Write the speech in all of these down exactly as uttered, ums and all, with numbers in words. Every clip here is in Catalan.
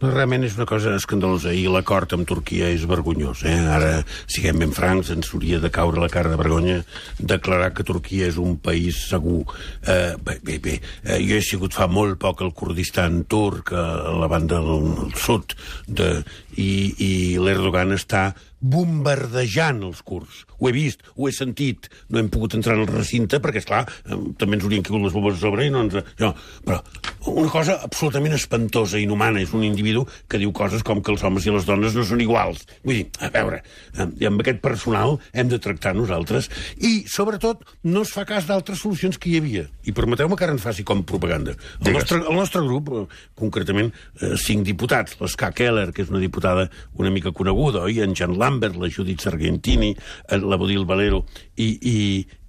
Realment és una cosa escandalosa i l'acord amb Turquia és vergonyós. Eh? Ara, siguem ben francs, ens hauria de caure la cara de vergonya declarar que Turquia és un país segur. Eh, bé, bé, bé. Eh, jo he sigut fa molt poc al Kurdistan turc, a la banda del sud, de, i, i l'Erdogan està bombardejant els kurds. Ho he vist, ho he sentit. No hem pogut entrar en el recinte perquè, esclar, també ens haurien caigut les bombes a sobre i no ens... No, però una cosa absolutament espantosa i inhumana. És un individu que diu coses com que els homes i les dones no són iguals. Vull dir, a veure, amb aquest personal hem de tractar nosaltres i, sobretot, no es fa cas d'altres solucions que hi havia. I permeteu-me que ara ens faci com propaganda. El nostre, el nostre grup, concretament, eh, cinc diputats, l'Ska Keller, que és una diputada una mica coneguda, oi? En Jan Lambert, la Judith Sargentini, la Bodil Valero i, i,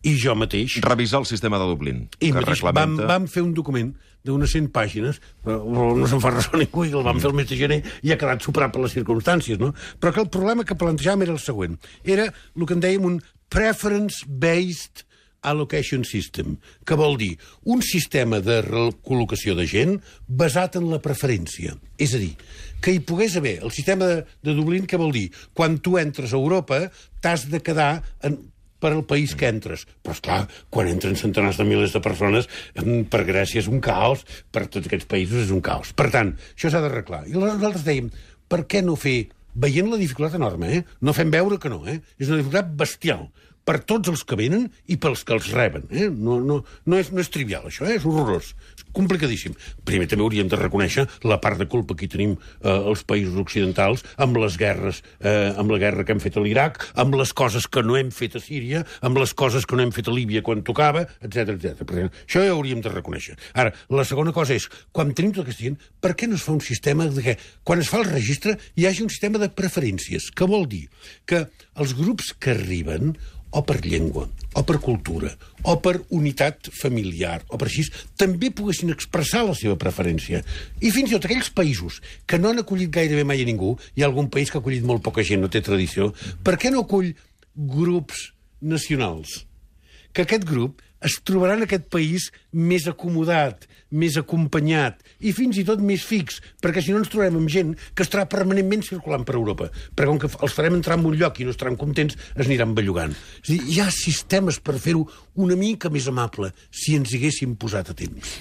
i jo mateix. Revisar el sistema de Dublín. I mateix vam, vam fer un document d'unes cent pàgines, però no se'n fa ressò ningú, i el vam fer el mes de gener i ha quedat superat per les circumstàncies, no? Però que el problema que plantejàvem era el següent. Era el que en dèiem un preference-based allocation system, que vol dir un sistema de recol·locació de gent basat en la preferència. És a dir, que hi pogués haver el sistema de, de Dublín, que vol dir quan tu entres a Europa t'has de quedar en, per al país que entres. Però, esclar, quan entren centenars de milers de persones, per Grècia és un caos, per tots aquests països és un caos. Per tant, això s'ha d'arreglar. I nosaltres dèiem, per què no fer, veient la dificultat enorme, eh? No fem veure que no, eh? És una dificultat bestial per tots els que venen i pels que els reben. Eh? No, no, no, és, no és trivial, això, eh? És horrorós. És complicadíssim. Primer també hauríem de reconèixer la part de culpa que hi tenim eh, els països occidentals amb les guerres, eh, amb la guerra que hem fet a l'Iraq, amb les coses que no hem fet a Síria, amb les coses que no hem fet a Líbia quan tocava, etcètera, etcètera. Això ja hauríem de reconèixer. Ara, la segona cosa és, quan tenim tota aquesta gent, per què no es fa un sistema de que, quan es fa el registre, hi hagi un sistema de preferències, que vol dir que els grups que arriben o per llengua, o per cultura, o per unitat familiar, o per així, també poguessin expressar la seva preferència. I fins i tot aquells països que no han acollit gairebé mai a ningú, hi ha algun país que ha acollit molt poca gent, no té tradició, per què no acull grups nacionals? Que aquest grup es trobarà en aquest país més acomodat, més acompanyat i fins i tot més fix, perquè si no ens trobarem amb gent que estarà permanentment circulant per Europa, perquè com que els farem entrar en un lloc i no estaran contents, es aniran bellugant. És a dir, hi ha sistemes per fer-ho una mica més amable si ens hi haguéssim posat a temps.